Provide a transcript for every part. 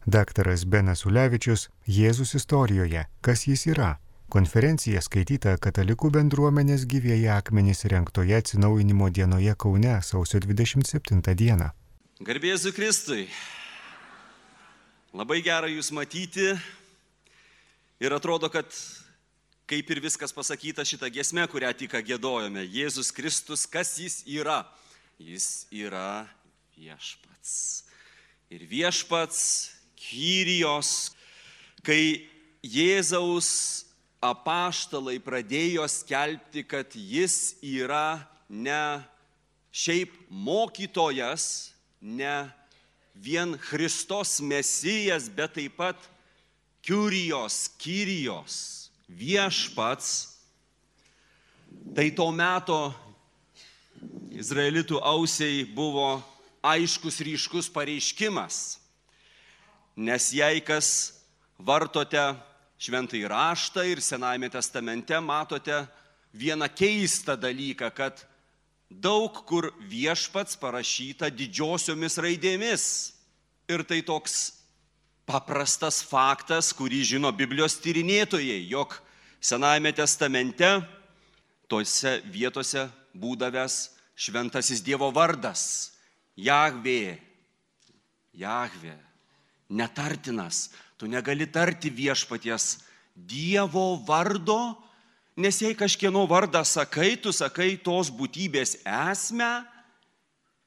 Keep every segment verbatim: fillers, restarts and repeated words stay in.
Daktaras Benas Ulevičius Jėzus istorijoje. Kas jis yra? Konferencija skaityta Katalikų bendruomenės Gyvieji akmenys rengtoje atsinaujinimo dienoje Kaune sausio dvidešimt septintą dieną. Garbė Jėzui Kristui. Labai gera jūs matyti ir atrodo, kad kaip ir viskas pasakyta šitą giesmę, kurią tik giedojome. Jėzus Kristus, kas jis yra? Jis yra viešpats. Ir viešpats Kyrijos, kai Jėzaus apaštalai pradėjo skelbti, kad jis yra ne šiaip mokytojas, ne vien Kristos Mesijas, bet taip pat Kyrijos, Kyrijos, viešpats, tai to meto izraelitų ausiai buvo aiškus ryškus pareiškimas. Nes jei kas vartote šventąjį raštą ir Senajame testamente, matote vieną keistą dalyką, kad daug kur viešpats parašyta didžiosiomis raidėmis. Ir tai toks paprastas faktas, kurį žino Biblijos tyrinėtojai, jog Senajame testamente tose vietose būdavęs šventasis Dievo vardas. Jahvė, Jahvė, netartinas. Tu negali tarti viešpaties Dievo vardo, nes jei kažkieno vardą sakai, tu sakai tos būtybės esmę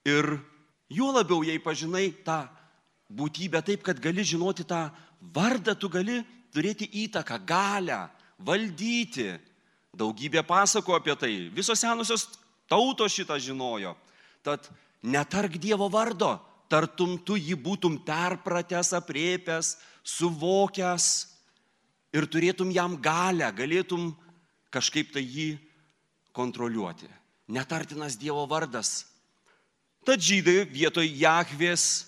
ir juo labiau, jei pažinai tą būtybę taip, kad gali žinoti tą vardą, tu gali turėti įtaką, galią, valdyti. Daugybė pasako apie tai. Visos senosios tautos šitą žinojo. Tad netark Dievo vardo, tartum tu jį būtum perpratęs, apriepęs, suvokęs ir turėtum jam galią, galėtum kažkaip tai jį kontroliuoti. Netartinas Dievo vardas. Tad žydai vietoj Jahvės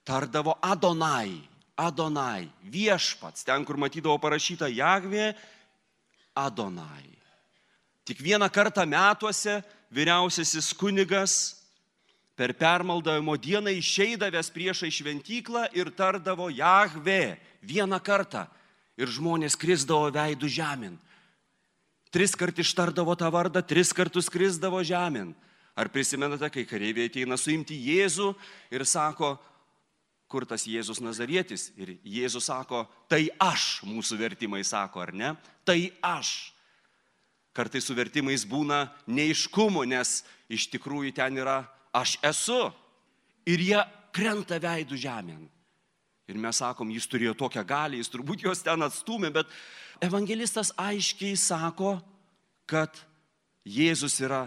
tardavo Adonai, Adonai, viešpats. Ten, kur matydavo parašyta Jahvė, Adonai. Tik vieną kartą metuose vyriausiasis kunigas per permaldavimo dieną išeidavęs priešai šventyklą ir tardavo Jahvė vieną kartą. Ir žmonės krisdavo veidų žemyn. Tris kart ištardavo tą vardą, tris kartus krisdavo žemyn. Ar prisimenate, kai kareiviai ateina suimti Jėzų ir sako, kur tas Jėzus Nazarietis? Ir Jėzus sako, tai aš, mūsų vertimai sako, ar ne? Tai aš. Kartais su vertimais būna neiškumo, nes iš tikrųjų ten yra aš esu. Ir jie krenta veidų žemėn. Ir mes sakom, jis turėjo tokią galią, jis turbūt jos ten atstūmė, bet evangelistas aiškiai sako, kad Jėzus yra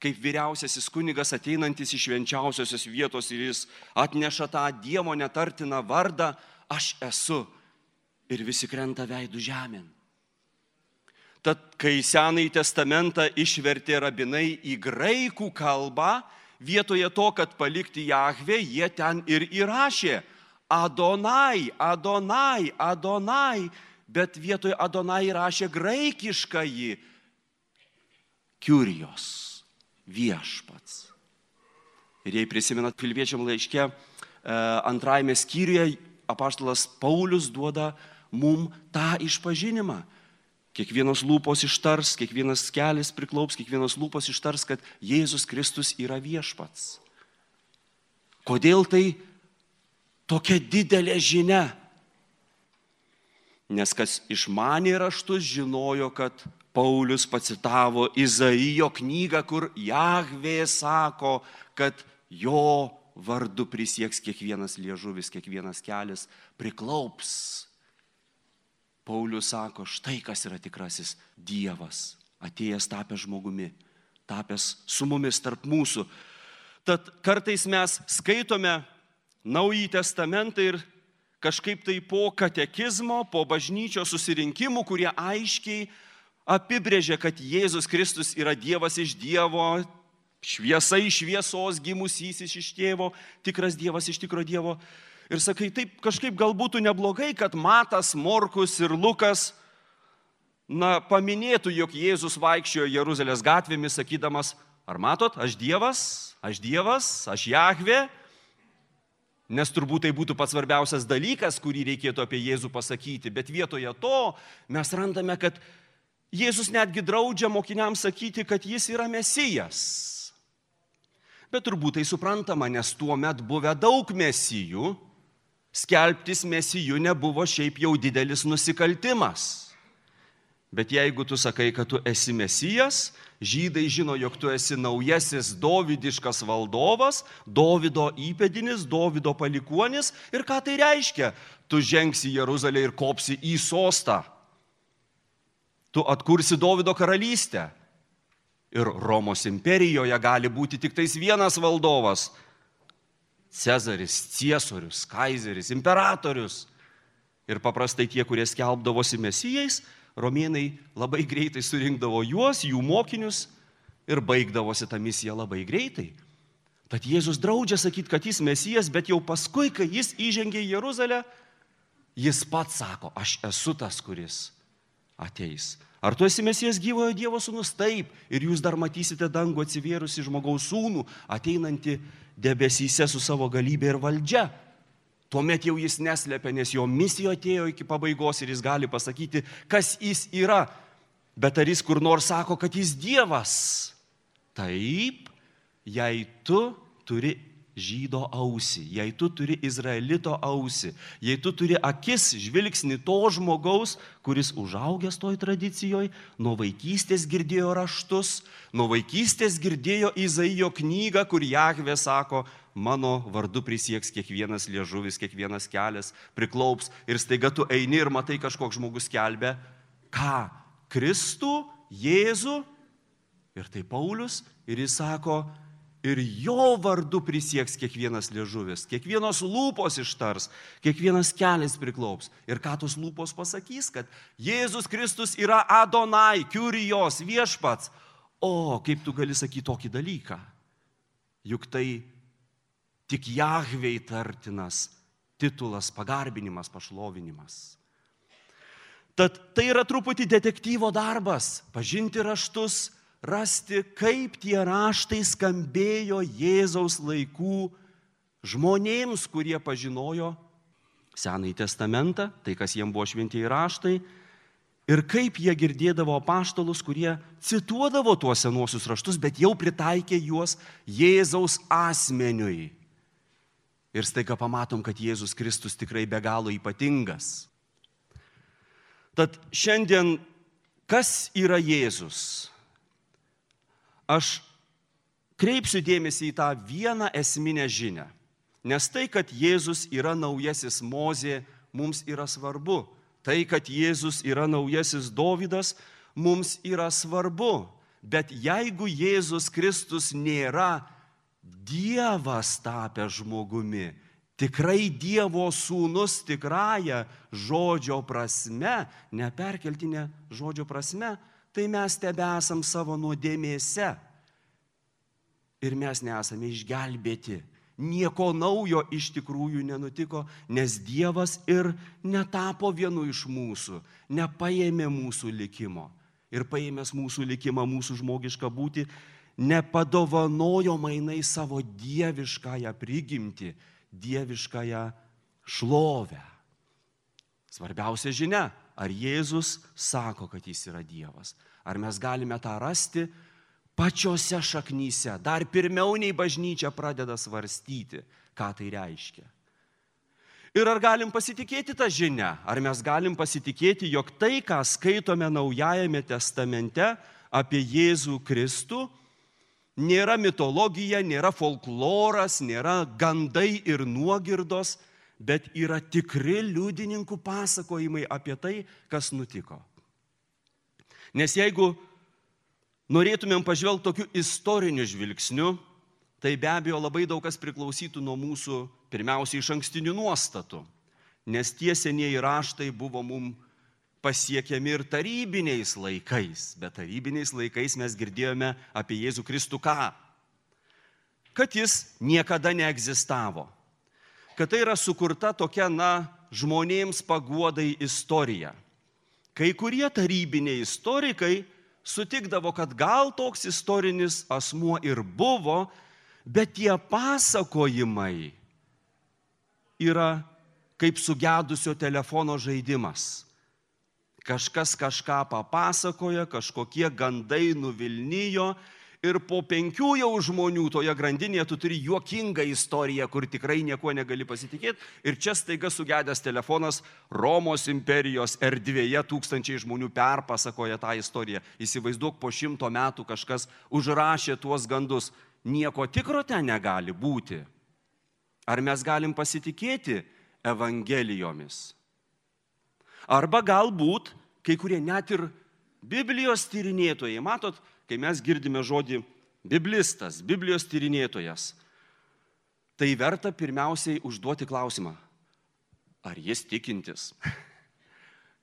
kaip vyriausiasis kunigas ateinantis iš švenčiausiosios vietos ir jis atneša tą Dievo netartiną vardą, aš esu. Ir visi krenta veidų žemėn. Tad, kai Senąjį testamentą išvertė rabinai į graikų kalbą, vietoje to, kad palikti Jahvę, jie ten ir įrašė Adonai, Adonai, Adonai, bet vietoje Adonai įrašė graikiškąjį Kyrijos, viešpats. Ir jei prisimenat Filipiečiam laiške, antrajame skyriuje apaštalas Paulius duoda mum tą išpažinimą. Kiekvienos lūpos ištars, kiekvienas kelis priklaups, kiekvienos lūpos ištars, kad Jėzus Kristus yra viešpats. Kodėl tai tokia didelė žinia? Nes kas išmanė raštus, žinojo, kad Paulius pacitavo Izaijo knygą, kur Jahvė sako, kad jo vardu prisieks kiekvienas liežuvis, kiekvienas kelis priklaups. Paulius sako, štai kas yra tikrasis Dievas, atėjęs tapęs žmogumi, tapęs su mumis tarp mūsų. Tad kartais mes skaitome Naująjį testamentą ir kažkaip tai po katekizmo, po bažnyčios susirinkimų, kurie aiškiai apibrėžia, kad Jėzus Kristus yra Dievas iš Dievo, šviesa iš šviesos, gimusysis iš tėvo, tikras Dievas iš tikro Dievo. Ir sakai, taip kažkaip gal būtų neblogai, kad Matas, Morkus ir Lukas, na, paminėtų, jog Jėzus vaikščiojo Jeruzalės gatvėmis, sakydamas, ar matot, aš Dievas, aš Dievas, aš Jahvė. Nes turbūt tai būtų pats svarbiausias dalykas, kurį reikėtų apie Jėzų pasakyti. Bet vietoje to mes randame, kad Jėzus netgi draudžia mokiniams sakyti, kad jis yra Mesijas. Bet turbūt tai suprantama, nes tuo met buvę daug mesijų, skelbtis mesijų nebuvo šiaip jau didelis nusikaltimas. Bet jeigu tu sakai, kad tu esi Mesijas, žydai žino, jog tu esi naujasis dovydiškas valdovas, Dovydo įpėdinis, Dovydo palikuonis. Ir ką tai reiškia? Tu žengsi į Jeruzalę ir kopsi į sostą. Tu atkursi Dovydo karalystę. Ir Romos imperijoje gali būti tik tais vienas valdovas. Cezaris, Ciesorius, Kaizeris, imperatorius. Ir paprastai tie, kurie skelbdavosi mesijais, romėnai labai greitai surinkdavo juos, jų mokinius ir baigdavosi tą misiją labai greitai. Tad Jėzus draudžia sakyti, kad jis mesijas, bet jau paskui, kai jis įžengė į Jeruzalę, jis pats sako, aš esu tas, kuris ateis. Ar tu esi Mesijas gyvojo Dievo sūnus? Taip. Ir jūs dar matysite dangų atsivėrusi žmogaus sūnų, ateinantį debesyse su savo galybė ir valdžia. Tuomet jau jis neslėpia, nes jo misija atėjo iki pabaigos ir jis gali pasakyti, kas jis yra. Bet ar jis kur nors sako, kad jis Dievas? Taip, jei tu turi žydo ausį, jei tu turi izraelito ausį, jei tu turi akis, žvilgsnį to žmogaus, kuris užaugęs toj tradicijoje, nuo vaikystės girdėjo raštus, nuo vaikystės girdėjo Izaijo knygą, kur Jahvė sako, mano vardu prisieks kiekvienas liežuvis, kiekvienas kelias priklaups ir staiga tu eini ir matai kažkoks žmogus skelbia, ką? Kristų, Jėzų ir tai Paulius ir jis sako, ir jo vardu prisieks kiekvienas liežuvis, kiekvienos lūpos ištars, kiekvienas kelias priklaups. Ir ką tos lūpos pasakys, kad Jėzus Kristus yra Adonai, Kyrijos, viešpats. O, kaip tu gali sakyti tokį dalyką? Juk tai tik Jahvei tartinas titulas, pagarbinimas, pašlovinimas. Tad tai yra truputį detektyvo darbas, pažinti raštus, rasti, kaip tie raštai skambėjo Jėzaus laikų žmonėms, kurie pažinojo Senąjį testamentą, tai kas jiems buvo šventieji raštai, ir kaip jie girdėdavo apaštalus, kurie cituodavo tuos senuosius raštus, bet jau pritaikė juos Jėzaus asmeniui. Ir staiga pamatom, kad Jėzus Kristus tikrai be galo ypatingas. Tad šiandien, kas yra Jėzus? Aš kreipsiu dėmesį į tą vieną esminę žinią, nes tai, kad Jėzus yra naujasis Mozė, mums yra svarbu. Tai, kad Jėzus yra naujasis Dovydas, mums yra svarbu. Bet jeigu Jėzus Kristus nėra Dievas tapęs žmogumi, tikrai Dievo sūnus tikrąja žodžio prasme, neperkeltinė žodžio prasme, tai mes tebesam savo nuodėmėse. Ir mes nesame išgelbėti. Nieko naujo iš tikrųjų nenutiko, nes Dievas ir netapo vienu iš mūsų, nepaėmė mūsų likimo. Ir paėmęs mūsų likimą, mūsų žmogišką būtį, nepadovanojo mainai savo dieviškąją prigimtį, dieviškąją šlovę. Svarbiausia žinia. Ar Jėzus sako, kad jis yra Dievas? Ar mes galime tą rasti pačiose šaknyse? Dar pirmiau nei bažnyčia pradeda svarstyti, ką tai reiškia. Ir ar galim pasitikėti tą žinią? Ar mes galim pasitikėti, jog tai, ką skaitome Naujajame testamente apie Jėzų Kristų, nėra mitologija, nėra folkloras, nėra gandai ir nuogirdos, bet yra tikri liudininkų pasakojimai apie tai, kas nutiko. Nes jeigu norėtumėm pažvelgti tokiu istoriniu žvilgsniu, tai be abejo labai daug kas priklausytų nuo mūsų pirmiausiai išankstinių nuostatų. Nes tie senieji raštai buvo mums pasiekiami ir tarybiniais laikais. Bet tarybiniais laikais mes girdėjome apie Jėzų Kristų ką? Kad jis niekada neegzistavo. Kad tai yra sukurta tokia, na, žmonėms paguodai istorija. Kai kurie tarybiniai istorikai sutikdavo, kad gal toks istorinis asmuo ir buvo, bet tie pasakojimai yra kaip sugedusio telefono žaidimas. Kažkas kažką papasakoja, kažkokie gandai nuvilnijo ir po penkių jau žmonių toje grandinėje tu turi juokingą istoriją, kur tikrai nieko negali pasitikėti. Ir čia staiga sugedęs telefonas Romos imperijos erdvėje tūkstančiai žmonių perpasakoja tą istoriją. Įsivaizduok, po šimto metų kažkas užrašė tuos gandus. Nieko tikro ten negali būti. Ar mes galim pasitikėti evangelijomis? Arba galbūt kai kurie net ir Biblijos tyrinėtojai, matot, kai mes girdime žodį biblistas, Biblijos tyrinėtojas, tai verta pirmiausiai užduoti klausimą, ar jis tikintis?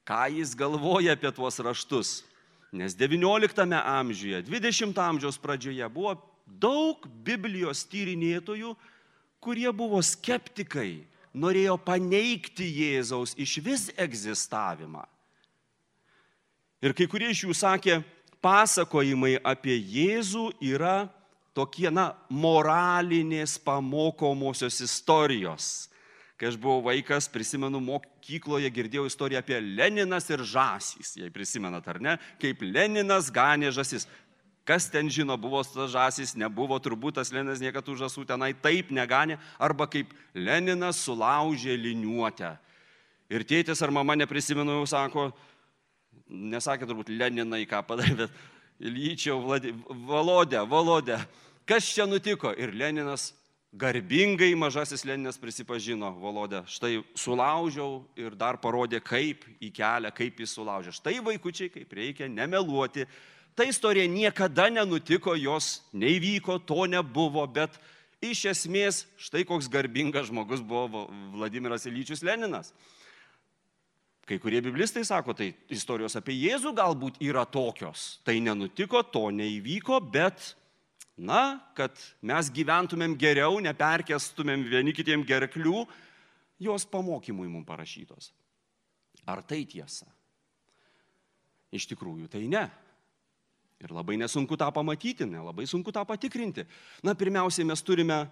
Ką jis galvoja apie tuos raštus? Nes devynioliktame amžiuje, dvidešimto amžiaus pradžioje buvo daug Biblijos tyrinėtojų, kurie buvo skeptikai, norėjo paneigti Jėzaus išvis egzistavimą. Ir kai kurie iš jų sakė, pasakojimai apie Jėzų yra tokie, na, moralinės pamokomosios istorijos. Kai aš buvau vaikas, prisimenu, mokykloje girdėjau istoriją apie Leninas ir žąsys, jei prisimenat ar ne, kaip Leninas ganė žąsis. Kas ten žino, buvo tas žąsis, nebuvo, turbūt tas Leninas niekad tų žąsų tenai taip neganė, arba kaip Leninas sulaužė liniuotę. Ir tėtis ar mama, neprisimenu, jau sako, nesakė turbūt Leninai, ką padarė, bet Ilyčiau, Volodė, Volodė, kas čia nutiko? Ir Leninas garbingai, mažasis Leninas prisipažino, Volodė, štai sulaužiau ir dar parodė, kaip į kelią, kaip jis sulaužė. Štai vaikučiai, kaip reikia nemeluoti. Ta istorija niekada nenutiko, jos neįvyko, to nebuvo, bet iš esmės štai koks garbingas žmogus buvo Vladimiras Ilyčius Leninas. Kai kurie biblistai sako, tai istorijos apie Jėzų galbūt yra tokios. Tai nenutiko, to neįvyko, bet, na, kad mes gyventumėm geriau, neperkestumėm vieni kitiem gerklių, jos pamokymui mums parašytos. Ar tai tiesa? Iš tikrųjų, tai ne. Ir labai nesunku tą pamatyti, ne, labai sunku tą patikrinti. Na, pirmiausiai mes turime,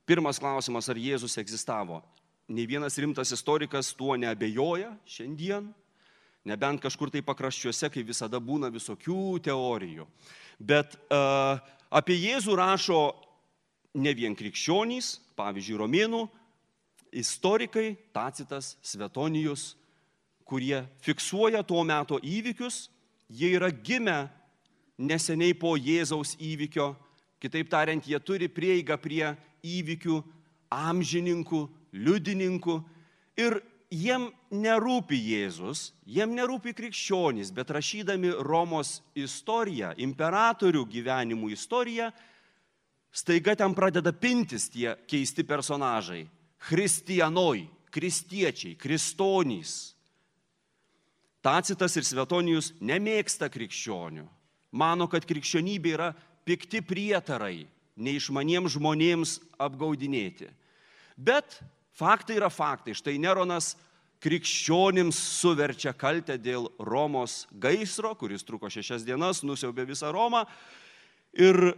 pirmas klausimas, ar Jėzus egzistavo. Nei vienas rimtas istorikas tuo neabejoja šiandien, nebent kažkur tai pakraščiuose, kai visada būna visokių teorijų. Bet uh, apie Jėzų rašo ne vien krikščionys, pavyzdžiui, romėnų istorikai, Tacitas, Svetonijus, kurie fiksuoja tuo meto įvykius, jie yra gimę neseniai po Jėzaus įvykio, kitaip tariant, jie turi prieigą prie įvykių amžininkų, liudininkų ir jiem nerūpi Jėzus, jiem nerūpi krikščionys, bet rašydami Romos istoriją, imperatorių gyvenimų istoriją, staiga ten pradeda pintis tie keisti personažai. Christianoj, kristiečiai, kristonys. Tacitas ir Svetonijus nemėgsta krikščionių. Mano, kad krikščionybė yra pikti prietarai, neišmaniems žmonėms apgaudinėti. Bet faktai yra faktai. Štai Neronas krikščionims suverčia kaltę dėl Romos gaisro, kuris truko šešias dienas, nusiaubė visą Romą. Ir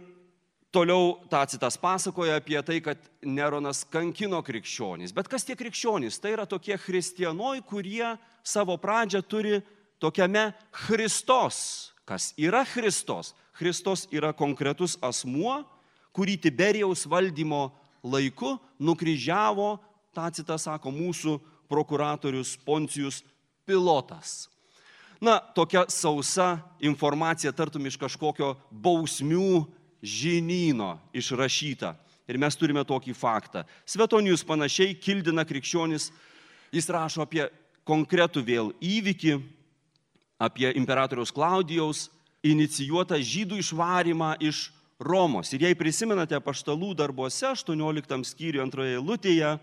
toliau Tacitas pasakoja apie tai, kad Neronas kankino krikščionys. Bet kas tie krikščionys? Tai yra tokie christianoj, kurie savo pradžią turi tokiame Christos. Kas yra Christos? Christos yra konkretus asmuo, kurį Tiberijaus valdymo laiku nukryžiavo, Tacitas sako, mūsų prokuratorius Poncijus Pilotas. Na, tokia sausa informacija tartum iš kažkokio bausmių žinyno išrašyta. Ir mes turime tokį faktą. Svetonijus panašiai kildina krikščionis, jis rašo apie konkretų vėl įvykį, apie imperatoriaus Klaudijaus inicijuotą žydų išvarimą iš Romos. Ir jei prisimenate apaštalų darbuose, aštuonioliktam skyriuje antroje eilutėje,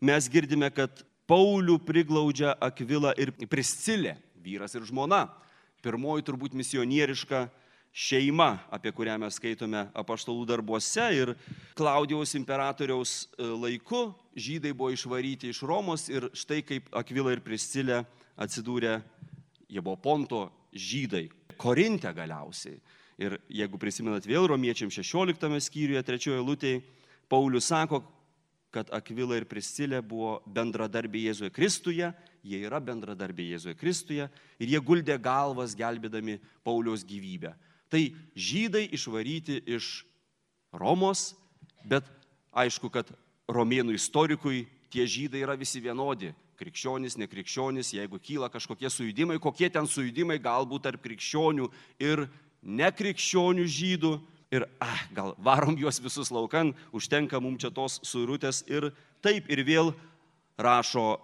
mes girdime, kad Paulių priglaudžia Akvilą ir Priscilę, vyras ir žmona. Pirmoji turbūt misionieriška šeima, apie kurią mes skaitome apaštalų darbuose. Ir Klaudijaus imperatoriaus laiku žydai buvo išvaryti iš Romos ir štai kaip Akvila ir Priscilė atsidūrė, jie buvo Ponto žydai, Korinte galiausiai. Ir jeigu prisimenat vėl romiečiam šešioliktame skyriuje, trečioje eilutėje, Paulius sako, kad Akvila ir Priscilė buvo bendradarbiai Jėzuje Kristuje, jie yra bendradarbiai Jėzuje Kristuje ir jie guldė galvas gelbėdami Pauliaus gyvybę. Tai žydai išvaryti iš Romos, bet aišku, kad romėnų istorikui tie žydai yra visi vienodi. Krikščionys, nekrikščionys, jeigu kyla kažkokie sujudimai, kokie ten sujudimai galbūt tarp krikščionių ir nekrikščionių žydų. Ir ah, gal varom juos visus laukan, užtenka mums čia tos suirutės. Ir taip ir vėl rašo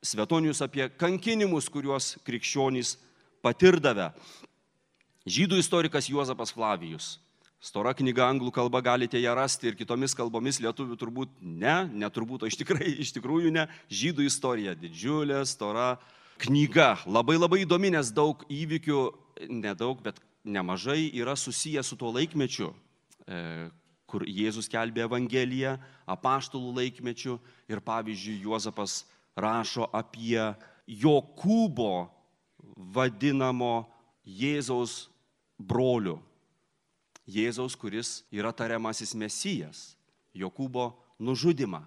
Svetonijus apie kankinimus, kuriuos krikščionys patirdavę. Žydų istorikas Juozapas Flavijus. Stora knyga anglų kalba, galite ją rasti ir kitomis kalbomis, lietuvių turbūt ne, neturbūt, o iš, tikrai, iš tikrųjų ne. Žydų istorija, didžiulė, stora knyga, labai labai įdomi, nes daug įvykių, nedaug, bet nemažai yra susiję su tuo laikmečiu, kur Jėzus skelbė Evangeliją, apaštalų laikmečiu ir pavyzdžiui Juozapas rašo apie Jokūbo vadinamo Jėzaus brolių. Jėzaus, kuris yra tariamasis Mesijas, Jokūbo nužudimą.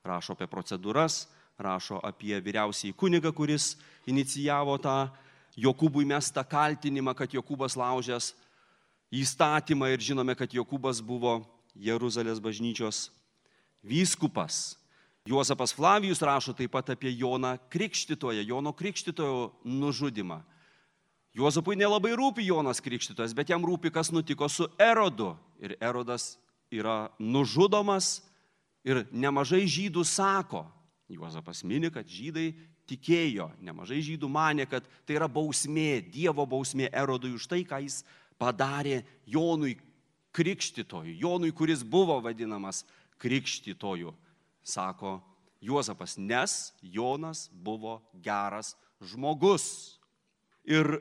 Rašo apie procedūras, rašo apie vyriausiąjį kunigą, kuris inicijavo tą Jokūbui mestą kaltinimą, kad Jokūbas laužęs įstatymą ir žinome, kad Jokūbas buvo Jeruzalės bažnyčios vyskupas. Juozapas Flavijus rašo taip pat apie Joną Krikštytoją, Jono Krikštytojo nužudimą. Juozapui nelabai rūpi Jonas Krikštytojas, bet jam rūpi, kas nutiko su Erodu. Ir Erodas yra nužudomas ir nemažai žydų sako, Juozapas mini, kad žydai tikėjo, nemažai žydų manė, kad tai yra bausmė, Dievo bausmė Erodui už tai, ką jis padarė Jonui Krikštytojui, Jonui, kuris buvo vadinamas Krikštytoju, sako Juozapas, nes Jonas buvo geras žmogus. Ir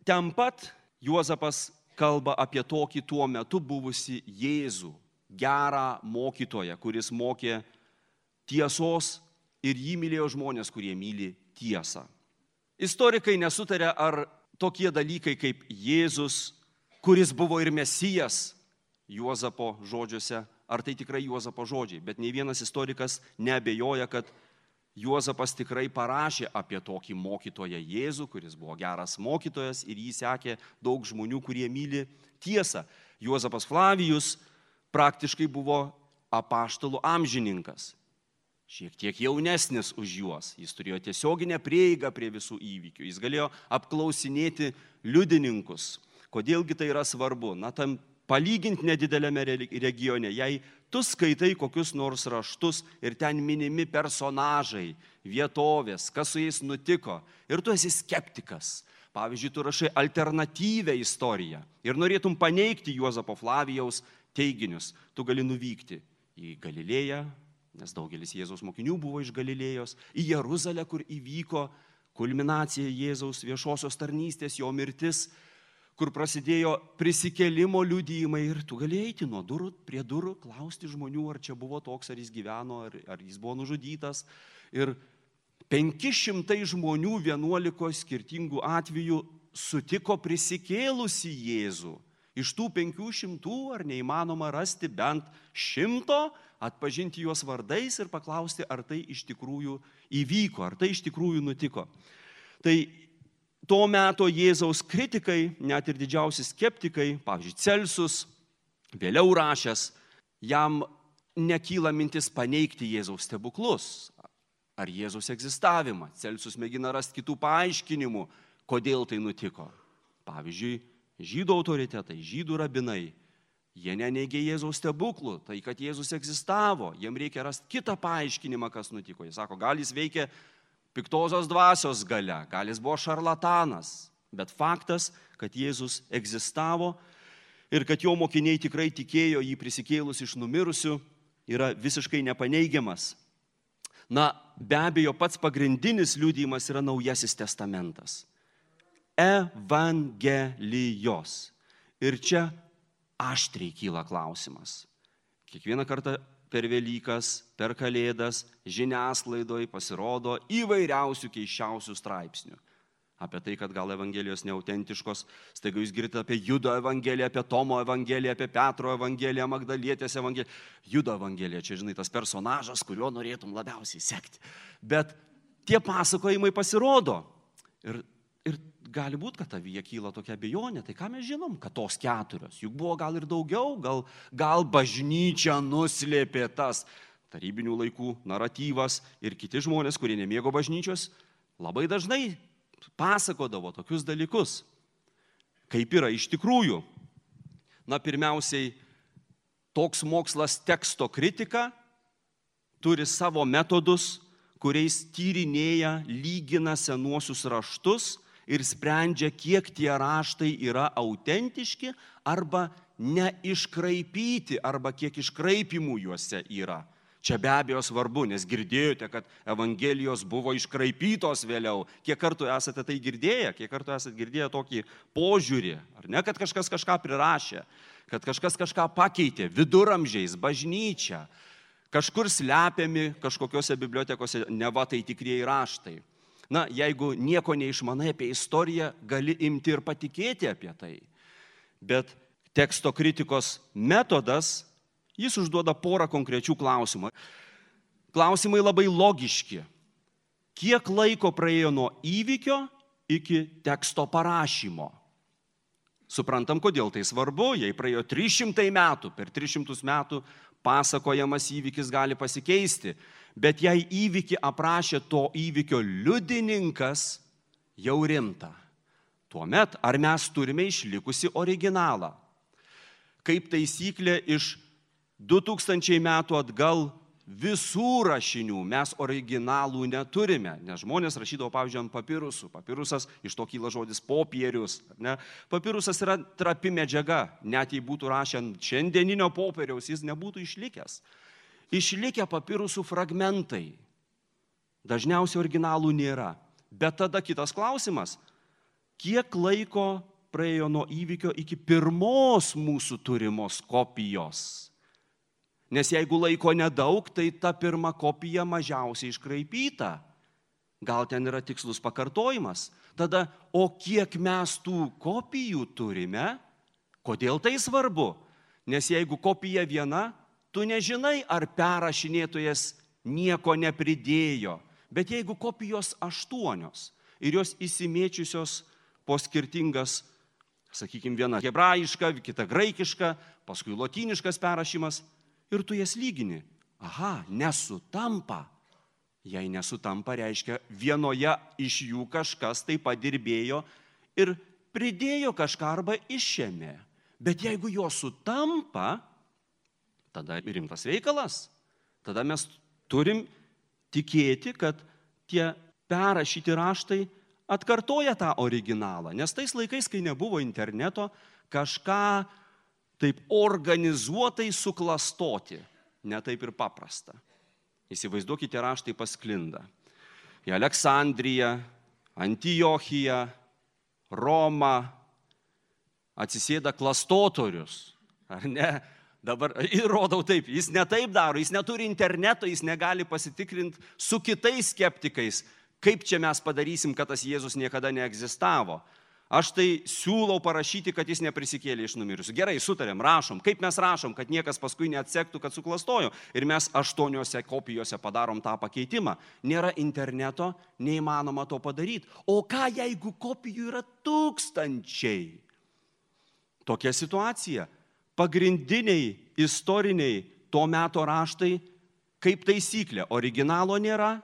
ten pat Juozapas kalba apie tokį tuo metu buvusi Jėzų, gerą mokytoją, kuris mokė tiesos ir jį mylėjo žmonės, kurie myli tiesą. Istorikai nesutarė, ar tokie dalykai kaip Jėzus, kuris buvo ir Mesijas Juozapo žodžiuose, ar tai tikrai Juozapo žodžiai. Bet nei vienas istorikas neabejoja, kad Juozapas tikrai parašė apie tokį mokytoją Jėzų, kuris buvo geras mokytojas ir jį sekė daug žmonių, kurie myli tiesą. Juozapas Flavijus praktiškai buvo apaštalų amžininkas, šiek tiek jaunesnis už juos. Jis turėjo tiesioginę prieigą prie visų įvykių. Jis galėjo apklausinėti liudininkus. Kodėlgi tai yra svarbu? Na, tam palyginti nedidelėme regione, jei tu skaitai kokius nors raštus ir ten minimi personažai, vietovės, kas su jais nutiko, ir tu esi skeptikas. Pavyzdžiui, tu rašai alternatyvę istoriją ir norėtum paneigti Juozapo Flavijaus teiginius, tu gali nuvykti į Galilėją, nes daugelis Jėzaus mokinių buvo iš Galilėjos, į Jeruzalę, kur įvyko kulminacija Jėzaus viešosios tarnystės, jo mirtis, kur prasidėjo prisikėlimo liudijimai ir tu galėjai eiti nuo durų prie durų, klausti žmonių, ar čia buvo toks, ar jis gyveno, ar, ar jis buvo nužudytas. Ir penki šimtai žmonių vienuolikos skirtingų atvejų sutiko prisikėlusi Jėzų. Iš tų penkių šimtų ar neįmanoma rasti bent šimto, atpažinti juos vardais ir paklausti, ar tai iš tikrųjų įvyko, ar tai iš tikrųjų nutiko. Tai to meto Jėzaus kritikai, net ir didžiausi skeptikai, pavyzdžiui, Celsus, vėliau rašęs, jam nekyla mintis paneigti Jėzaus stebuklus ar Jėzaus egzistavimą. Celsus mėgina rasti kitų paaiškinimų, kodėl tai nutiko. Pavyzdžiui, žydų autoritetai, žydų rabinai, jie neneigė Jėzaus stebuklų, tai kad Jėzus egzistavo, jiem reikia rasti kitą paaiškinimą, kas nutiko. Jis sako, gal jis veikia piktosios dvasios galia, gal jis buvo šarlatanas, bet faktas, kad Jėzus egzistavo ir kad jo mokiniai tikrai tikėjo jį prisikėlus iš numirusių, yra visiškai nepaneigiamas. Na, be abejo, pats pagrindinis liudijimas yra Naujasis testamentas. Evangelijos. Ir čia aštriai kyla klausimas. Kiekvieną kartą per Velykas, per Kalėdas, žiniasklaidoje pasirodo įvairiausių keiščiausių straipsnių. apie tai, kad gal Evangelijos neautentiškos. Staiga jūs girdite apie Judo Evangeliją, apie Tomo Evangeliją, apie Petro Evangeliją, Magdalietės Evangeliją. Judo Evangelija, čia žinai, tas personažas, kuriuo norėtum labiausiai sekti. Bet tie pasakojimai pasirodo. Ir, ir gali būti, kad tavyje kyla tokia abejonė. Tai ką mes žinom, kad tos keturios? Juk buvo gal ir daugiau, gal, gal bažnyčia nuslėpė tas tarybinių laikų naratyvas ir kiti žmonės, kurie nemėgo bažnyčios, labai dažnai pasakodavo tokius dalykus, kaip yra iš tikrųjų. Na, pirmiausiai, toks mokslas teksto kritika turi savo metodus, kuriais tyrinėja, lygina senuosius raštus ir sprendžia, kiek tie raštai yra autentiški arba neiškraipyti, arba kiek iškraipimų juose yra. Čia be abejo svarbu, nes girdėjote, kad Evangelijos buvo iškraipytos vėliau. Kiek kartų esate tai girdėję, kiek kartų esate girdėję tokį požiūrį, ar ne, kad kažkas kažką prirašė, kad kažkas kažką pakeitė, viduramžiais, bažnyčia, kažkur slepiami kažkokiose bibliotekose, neva tai tikrieji raštai. Na, jeigu nieko neišmanai apie istoriją, gali imti ir patikėti apie tai. Bet teksto kritikos metodas, jis užduoda porą konkrečių klausimų. Klausimai labai logiški. Kiek laiko praėjo nuo įvykio iki teksto parašymo? Suprantam, kodėl tai svarbu, jei praėjo trys šimtai metų, per tris šimtus metų pasakojamas įvykis gali pasikeisti. Bet jei įvykį aprašė to įvykio liudininkas, jau rimta. Tuomet, ar mes turime išlikusi originalą? Kaip taisyklė, iš du tūkstančiai metų atgal visų rašinių mes originalų neturime, nes žmonės rašydavo, pavyzdžiui, ant papirusų. Papirusas, iš to kyla žodis popierius. Ne? Papirusas yra trapi medžiaga, net jei būtų rašę ant šiandieninio popieriaus, jis nebūtų išlikęs. Išlikę papirusų fragmentai. Dažniausiai originalų nėra. Bet tada kitas klausimas, kiek laiko praėjo nuo įvykio iki pirmos mūsų turimos kopijos? Nes jeigu laiko nedaug, tai ta pirma kopija mažiausiai iškraipyta. Gal ten yra tikslus pakartojimas. Tada, o kiek mes tų kopijų turime? Kodėl tai svarbu? Nes jeigu kopija viena, tu nežinai, ar perrašinėtojas nieko nepridėjo. Bet jeigu kopijos aštuonios ir jos įsimėčiusios po skirtingas, sakykime, viena hebrajiška, kita graikiška, paskui lotyniškas perrašymas, ir tu jas lygini. Aha, nesutampa. Jei nesutampa, reiškia, vienoje iš jų kažkas tai padirbėjo ir pridėjo kažką arba išėmė. Bet jeigu jo sutampa, tada rimtas reikalas. Tada mes turim tikėti, kad tie perrašyti raštai atkartoja tą originalą. Nes tais laikais, kai nebuvo interneto, kažką taip organizuotai suklastoti, ne taip ir paprasta. Įsivaizduokite, raštai pasklinda. Į Aleksandriją, Antiochiją, Romą atsisėda klastotorius, ar ne? Dabar įrodau taip, jis ne taip daro, jis neturi interneto, jis negali pasitikrinti su kitais skeptikais, kaip čia mes padarysim, kad tas Jėzus niekada neegzistavo. Aš tai siūlau parašyti, kad jis neprisikėlė iš numirusių. Gerai, sutarėm, rašom. Kaip mes rašom, kad niekas paskui neatsektų, kad suklastojo. Ir mes aštuoniuose kopijose padarom tą pakeitimą. Nėra interneto, neįmanoma to padaryti. O ką, jeigu kopijų yra tūkstančiai? Tokia situacija. Pagrindiniai istoriniai to meto raštai, kaip taisyklė, originalo nėra.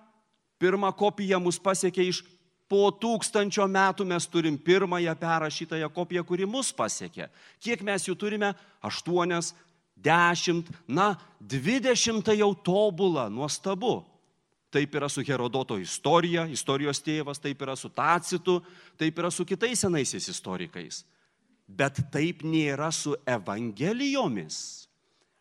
Pirma kopija mus pasiekė iš po tūkstančio metų mes turim pirmąją perrašytąją kopiją, kuri mus pasiekė. Kiek mes jų turime? Aštuonias, dešimt, na, dvidešimt jau tobula, nuostabu. Taip yra su Herodoto istorija, istorijos tėvas, taip yra su Tacitu, taip yra su kitais senaisiais istorikais. Bet taip nėra su Evangelijomis.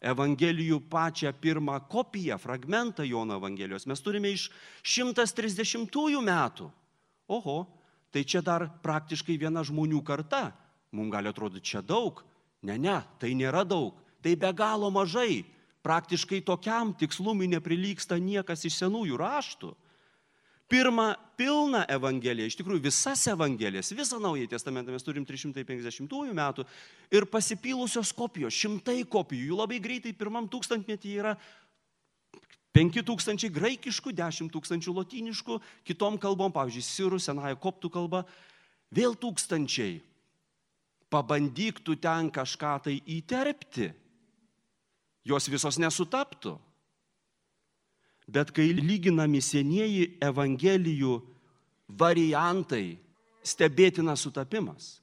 Evangelijų pačią pirmą kopiją, fragmentą Jono Evangelijos mes turime iš šimtas trisdešimtųjų metų. Oho, tai čia dar praktiškai viena žmonių karta. Mums gali atrodyti čia daug. Ne, ne, tai nėra daug. Tai be galo mažai. Praktiškai tokiam tikslumui neprilygsta niekas iš senųjų raštų. Pirmą pilną Evangeliją, iš tikrųjų visas Evangelijas, visą Naująjį Testamentą mes turim trys šimtai penkiasdešimtųjų metų ir pasipylusios kopijos, šimtai kopijų, jų labai greitai pirmam tūkstantmetyje yra penki tūkstančiai graikiškų, dešimt tūkstančių lotyniškų, kitom kalbom, pavyzdžiui, sirų, senąją koptų kalbą, vėl tūkstančiai. Pabandyk tu ten kažką tai įterpti, jos visos nesutaptų. Bet kai lyginami senieji Evangelijų variantai, stebėtinas sutapimas.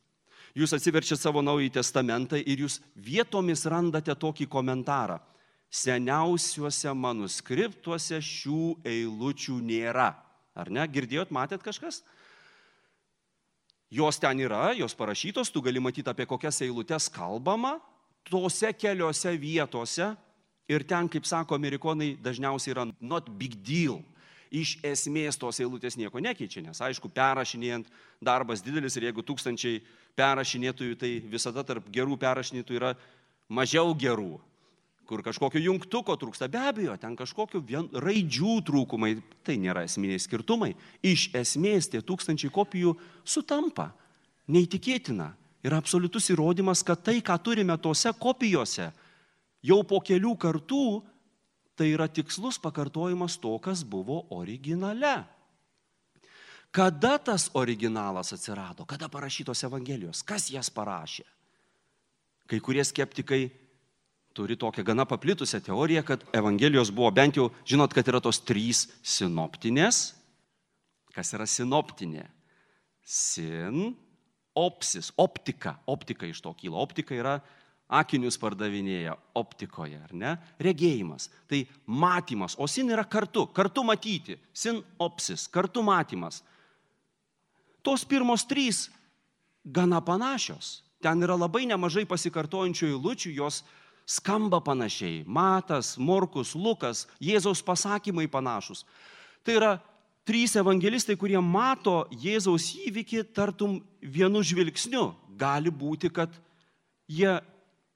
Jūs atsiverčiat savo Naująjį Testamentą ir jūs vietomis randate tokį komentarą. Seniausiuose manuskriptuose šių eilučių nėra. Ar ne? Girdėjot, matėt kažkas? Jos ten yra, jos parašytos, tu gali matyti, apie kokias eilutes kalbama, tose keliose vietose. Ir ten, kaip sako amerikonai, dažniausiai yra not big deal. Iš esmės tos eilutės nieko nekeičia, nes aišku, perrašinėjant darbas didelis ir jeigu tūkstančiai perrašinėtojų, tai visada tarp gerų perrašinėtojų yra mažiau gerų, kur kažkokio jungtuko trūksta. Be abejo, ten kažkokio vien, raidžių trūkumai, tai nėra esminiai skirtumai. Iš esmės tie tūkstančiai kopijų sutampa. Neįtikėtina. Yra absoliutus įrodymas, kad tai, ką turime tose kopijose, jau po kelių kartų tai yra tikslus pakartojimas to, kas buvo originale. Kada tas originalas atsirado? Kada parašytos Evangelijos? Kas jas parašė? Kai kurie skeptikai turi tokią gana paplitusią teoriją, kad Evangelijos buvo bent jau, žinot, kad yra tos trys sinoptinės. Kas yra sinoptinė? Sin, opsis, optika. Optika iš to kyla. Optika yra akinius pardavinėja optikoje, ar ne? Regėjimas. Tai matymas. O sin yra kartu. Kartu matyti. Sin opsis. Kartu matymas. Tos pirmos trys gana panašios. Ten yra labai nemažai pasikartojančių eilučių, jos skamba panašiai. Matas, Morkus, Lukas, Jėzaus pasakymai panašus. Tai yra trys evangelistai, kurie mato Jėzaus įvykį tartum vienu žvilgsniu. Gali būti, kad jie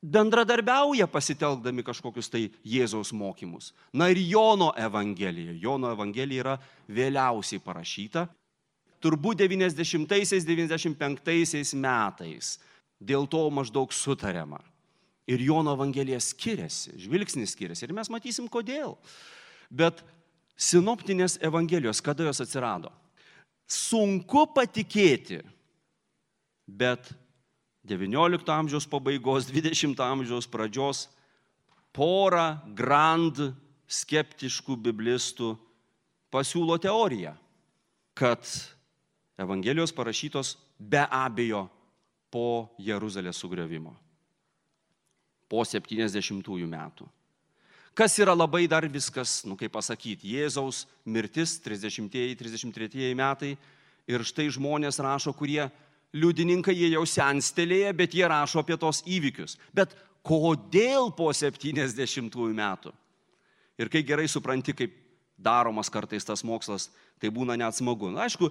bendradarbiauja pasitelkdami kažkokius tai Jėzaus mokymus. Na ir Jono Evangelija. Jono Evangelija yra vėliausiai parašyta. Turbūt devyniasdešimtaisiais, devyniasdešimt penktaisiais metais. Dėl to maždaug sutariama. Ir Jono Evangelija skiriasi, žvilgsnis skiriasi. Ir mes matysim, kodėl. Bet sinoptinės Evangelijos, kada jos atsirado? Sunku patikėti, bet devyniolikto amžiaus pabaigos, dvidešimto amžiaus pradžios pora grand skeptiškų biblistų pasiūlo teoriją, kad Evangelijos parašytos be abejo po Jeruzalės sugriovimo, po septyniasdešimtųjų metų. Kas yra labai dar viskas, nu kaip pasakyti, Jėzaus mirtis, trisdešimtieji, trisdešimt tretieji metai ir štai žmonės rašo, kurie liudininkai, jie jau senstelėję, bet jie rašo apie tos įvykius. Bet kodėl po septyniasdešimtųjų metų? Ir kai gerai supranti, kaip daromas kartais tas mokslas, tai būna net smagu. Na, aišku,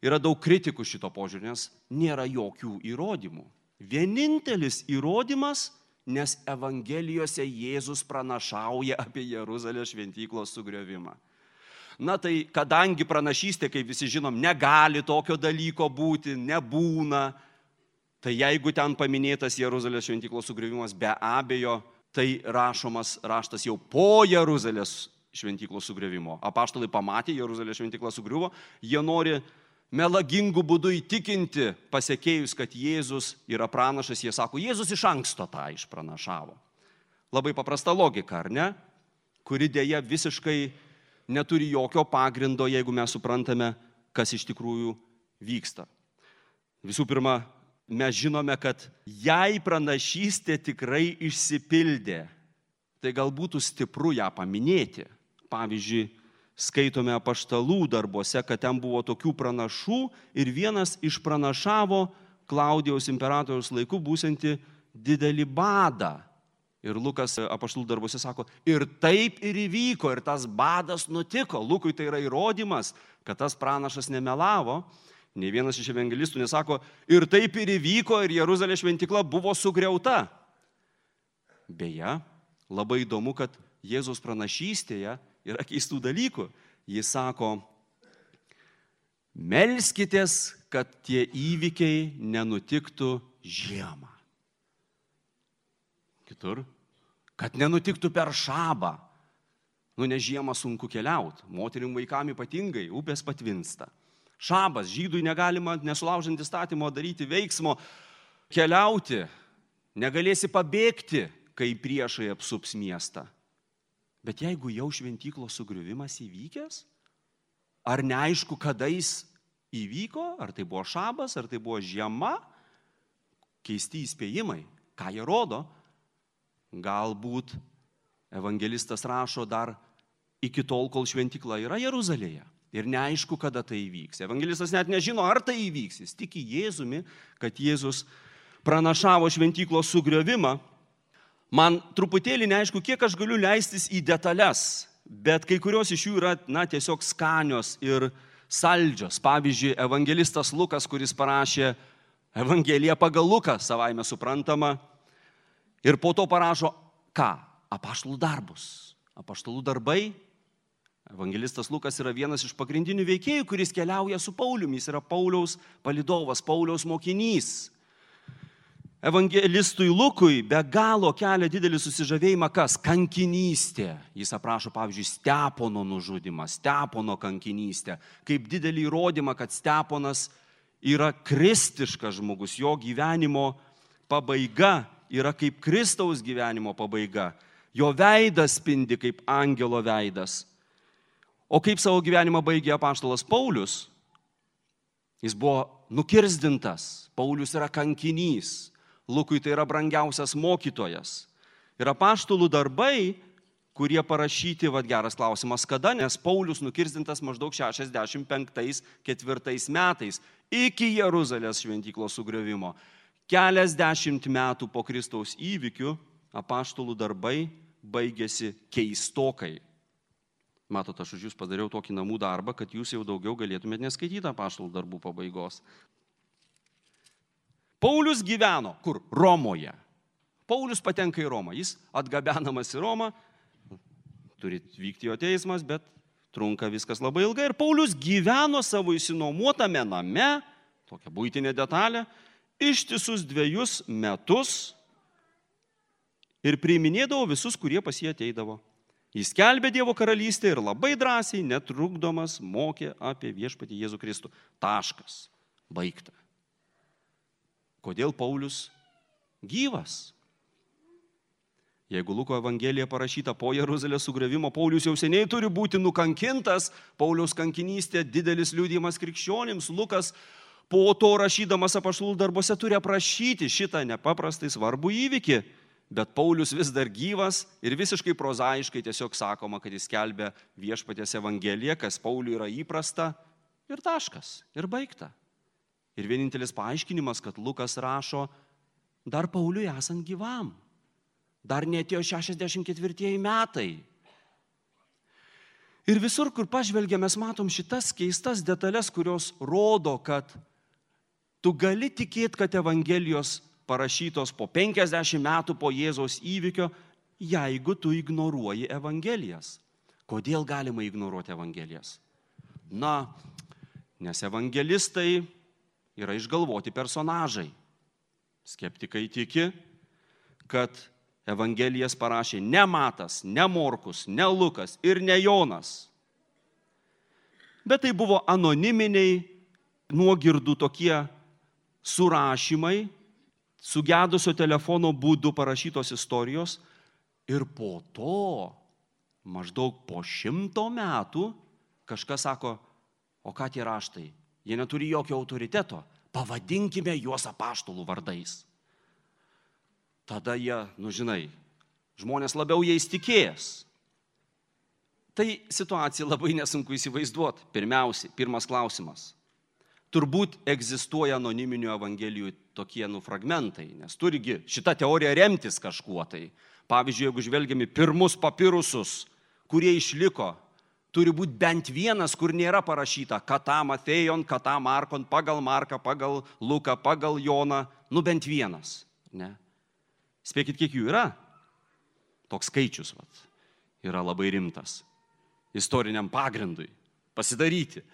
yra daug kritikų šito požiūrį, nes nėra jokių įrodymų. Vienintelis įrodymas, nes Evangelijose Jėzus pranašauja apie Jeruzalės šventyklos sugriovimą. Na tai, kadangi pranašystė, kaip visi žinom, negali tokio dalyko būti, nebūna, tai jeigu ten paminėtas Jeruzalės šventyklos sugriovimas, be abejo, tai rašomas raštas jau po Jeruzalės šventyklos sugriovimo. Apaštalai pamatė, Jeruzalės šventykla sugriuvo, jie nori melagingų būdų įtikinti pasekėjus, kad Jėzus yra pranašas, jie sako, Jėzus iš anksto tą išpranašavo. Labai paprasta logika, ar ne? Kuri dėja visiškai neturi jokio pagrindo, jeigu mes suprantame, kas iš tikrųjų vyksta. Visų pirma, mes žinome, kad jei pranašystė tikrai išsipildė, tai gal būtų stipru ją paminėti. Pavyzdžiui, skaitome apaštalų darbuose, kad ten buvo tokių pranašų ir vienas išpranašavo Klaudijaus imperatoriaus laiku būsianti didelį badą. Ir Lukas apaštalų darbuose sako, ir taip ir įvyko, ir tas badas nutiko. Lukui tai yra įrodymas, kad tas pranašas nemelavo. Nei vienas iš evangelistų nesako, ir taip ir įvyko, ir Jeruzalės šventykla buvo sugriauta. Beje, labai įdomu, kad Jėzaus pranašystėje yra keistų dalykų. Jis sako, melskitės, kad tie įvykiai nenutiktų žiemą. Kitur, kad nenutiktų per šabą. Nu, ne žiemą sunku keliauti, moterim vaikam ypatingai, upės patvinsta. Šabas, žydui negalima, nesulaužant įstatymo, daryti veiksmo, keliauti, negalėsi pabėgti, kai priešai apsups miestą. Bet jeigu jau šventyklos sugriuvimas įvykęs, ar neaišku, kada jis įvyko, ar tai buvo šabas, ar tai buvo žiema, keisti įspėjimai, ką jie rodo, galbūt evangelistas rašo dar iki tol, kol šventykla yra Jeruzalėje. Ir neaišku, kada tai įvyks. Evangelistas net nežino, ar tai įvyks. Jis tiki Jėzumi, kad Jėzus pranašavo šventyklos sugriovimą. Man truputėlį neaišku, kiek aš galiu leistis į detalės, bet kai kurios iš jų yra, na, tiesiog skanios ir saldžios. Pavyzdžiui, evangelistas Lukas, kuris parašė Evangeliją pagal Luką, savaime suprantama, ir po to parašo, ką? Apaštalų darbus. Apaštalų darbai. Evangelistas Lukas yra vienas iš pagrindinių veikėjų, kuris keliauja su Pauliumi. Jis yra Pauliaus palydovas, Pauliaus mokinys. Evangelistui Lukui be galo kelia didelį susižavėjimą kas? Kankinystė. Jis aprašo, pavyzdžiui, Stepono nužudymą, Stepono kankinystę, kaip didelį įrodymą, kad Steponas yra kristiškas žmogus, jo gyvenimo pabaiga yra kaip Kristaus gyvenimo pabaiga. Jo veidas spindi kaip angelo veidas. O kaip savo gyvenimą baigė apaštalas Paulius? Jis buvo nukirzdintas. Paulius yra kankinys. Lukui tai yra brangiausias mokytojas. Ir apaštalų darbai, kurie parašyti, vad geras klausimas, kada, nes Paulius nukirzdintas maždaug šešiasdešimt penktais ketvirtais metais iki Jeruzalės šventyklos sugriovimo. Keliasdešimt metų po Kristaus įvykių apaštalų darbai baigėsi keistokai. Matot, aš už jūs padariau tokį namų darbą, kad jūs jau daugiau galėtumėte neskaityti apaštalų darbų pabaigos. Paulius gyveno kur? Romoje. Paulius patenka į Romą. Jis atgabenamas į Romą, turi vykti jo teismas, bet trunka viskas labai ilgai. Ir Paulius gyveno savo išsinuomotame name, tokia buitinė detalė, ištisus dviejus metus ir priiminėdavo visus, kurie pas jį ateidavo. Jis skelbė Dievo karalystę ir labai drąsiai, netrukdomas, mokė apie viešpatį Jėzų Kristų. Taškas. Baigta. Kodėl Paulius gyvas? Jeigu Luko Evangelija parašyta po Jeruzalės sugriovimo, Paulius jau seniai turi būti nukankintas. Pauliaus kankinystė didelis liudijimas krikščionims. Lukas po to rašydamas apaštalų darbuose turi aprašyti šitą nepaprastai svarbų įvykį. Bet Paulius vis dar gyvas ir visiškai prozaiškai tiesiog sakoma, kad jis skelbia viešpaties Evangeliją, kas Pauliui yra įprasta, ir taškas, ir baigta. Ir vienintelis paaiškinimas, kad Lukas rašo dar Pauliui esant gyvam. Dar neatėjo šešiasdešimt ketvirtieji metai. Ir visur, kur pažvelgiame, mes matom šitas keistas detalės, kurios rodo, kad tu gali tikėti, kad Evangelijos parašytos po penkiasdešimt metų po Jėzaus įvykio, jeigu tu ignoruoji Evangelijas. Kodėl galima ignoruoti Evangelijas? Na, nes evangelistai yra išgalvoti personažai. Skeptikai tiki, kad Evangelijas parašė ne Matas, ne Morkus, ne Lukas ir ne Jonas. Bet tai buvo anoniminiai, nuogirdų tokie surašymai, sugedusio telefono būdu parašytos istorijos ir po to, maždaug po šimto metų, kažkas sako, o ką tie raštai? Jie neturi jokio autoriteto, pavadinkime juos apaštalų vardais. Tada jie, nu žinai, žmonės labiau jais tikėjęs. Tai situacija labai nesunku įsivaizduoti. Pirmiausiai, pirmas klausimas. Turbūt egzistuoja anoniminių evangelijų tokie nu fragmentai, nes turigi šitą teoriją remtis kažkuo tai. Pavyzdžiui, jeigu žvelgiame pirmus papirusus, kurie išliko, turi būti bent vienas, kur nėra parašyta Kata Matėjon, Kata Markon, pagal Marką, pagal Luką, pagal Joną, nu bent vienas. Ne? Spėkit, kiek jų yra? Toks skaičius vat, yra labai rimtas. Istoriniam pagrindui pasidaryti.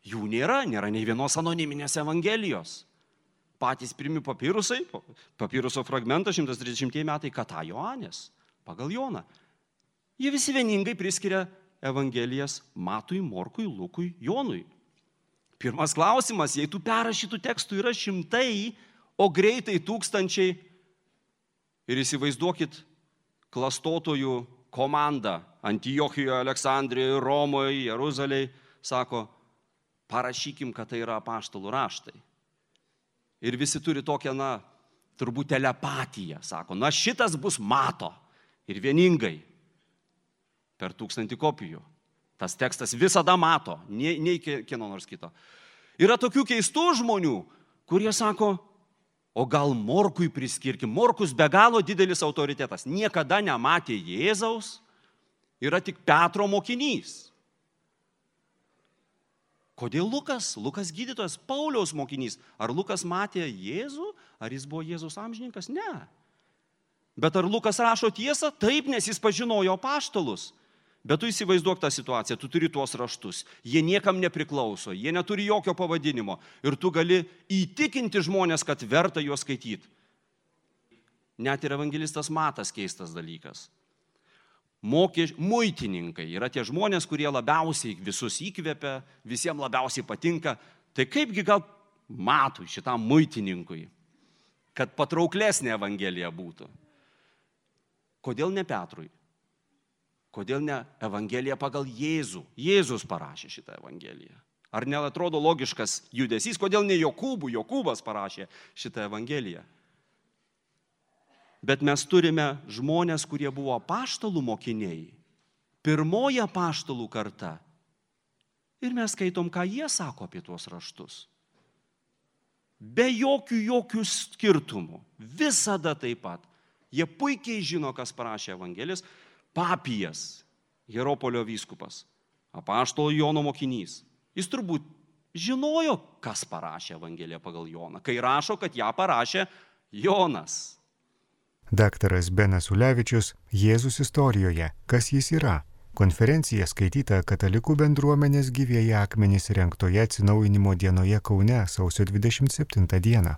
Jų nėra, nėra nei vienos anoniminės evangelijos. Patys pirmi papirusai, papiruso fragmentas šimtas trisdešimtieji metai, Kata Joanės, pagal Joną. Jie visi vieningai priskiria evangelijas Matui, Morkui, Lukui, Jonui. Pirmas klausimas, jei tų perrašytų tekstų yra šimtai, o greitai tūkstančiai, ir įsivaizduokit klastotojų komandą Antiochijoje, Aleksandrijoje, Romoje, Jeruzalėje, sako, parašykim, kad tai yra apaštalų raštai. Ir visi turi tokią, na, turbūt telepatiją, sako, na šitas bus Mato ir vieningai per tūkstantį kopijų. Tas tekstas visada Mato, nei, nei kieno nors kito. Yra tokių keistų žmonių, kurie sako, o gal Morkui priskirkim. Morkus be galo didelis autoritetas, niekada nematė Jėzaus, yra tik Petro mokinys. Kodėl Lukas? Lukas gydytojas, Pauliaus mokinys. Ar Lukas matė Jėzų? Ar jis buvo Jėzus amžininkas? Ne. Bet ar Lukas rašo tiesą? Taip, nes jis pažinojo apaštalus. Bet tu įsivaizduok tą situaciją, tu turi tuos raštus. Jie niekam nepriklauso, jie neturi jokio pavadinimo. Ir tu gali įtikinti žmonės, kad verta juos skaityti. Net ir evangelistas Matas keistas dalykas. Mokė, muitininkai yra tie žmonės, kurie labiausiai visus įkvepia, visiems labiausiai patinka. Tai kaipgi gal Matui, šitam muitininkui, kad patrauklesnė evangelija būtų? Kodėl ne Petrui? Kodėl ne evangelija pagal Jėzų? Jėzus parašė šitą evangeliją. Ar neatrodo logiškas judesys? Kodėl ne Jokūbų? Jokūbas parašė šitą evangeliją. Bet mes turime žmonės, kurie buvo apaštalų mokiniai. Pirmoji apaštalų karta. Ir mes skaitom, ką jie sako apie tuos raštus. Be jokių, jokių skirtumų. Visada taip pat. Jie puikiai žino, kas parašė evangelijas. Papijas, Hieropolio vyskupas, apaštalo Jono mokinys. Jis turbūt žinojo, kas parašė evangeliją pagal Joną, kai rašo, kad ją parašė Jonas. Daktaras Benas Ulevičius, Jėzus istorijoje. Kas jis yra? Konferencija skaityta Katalikų bendruomenės Gyvieji akmenys rengtoje atsinaujinimo dienoje Kaune sausio dvidešimt septintą dieną.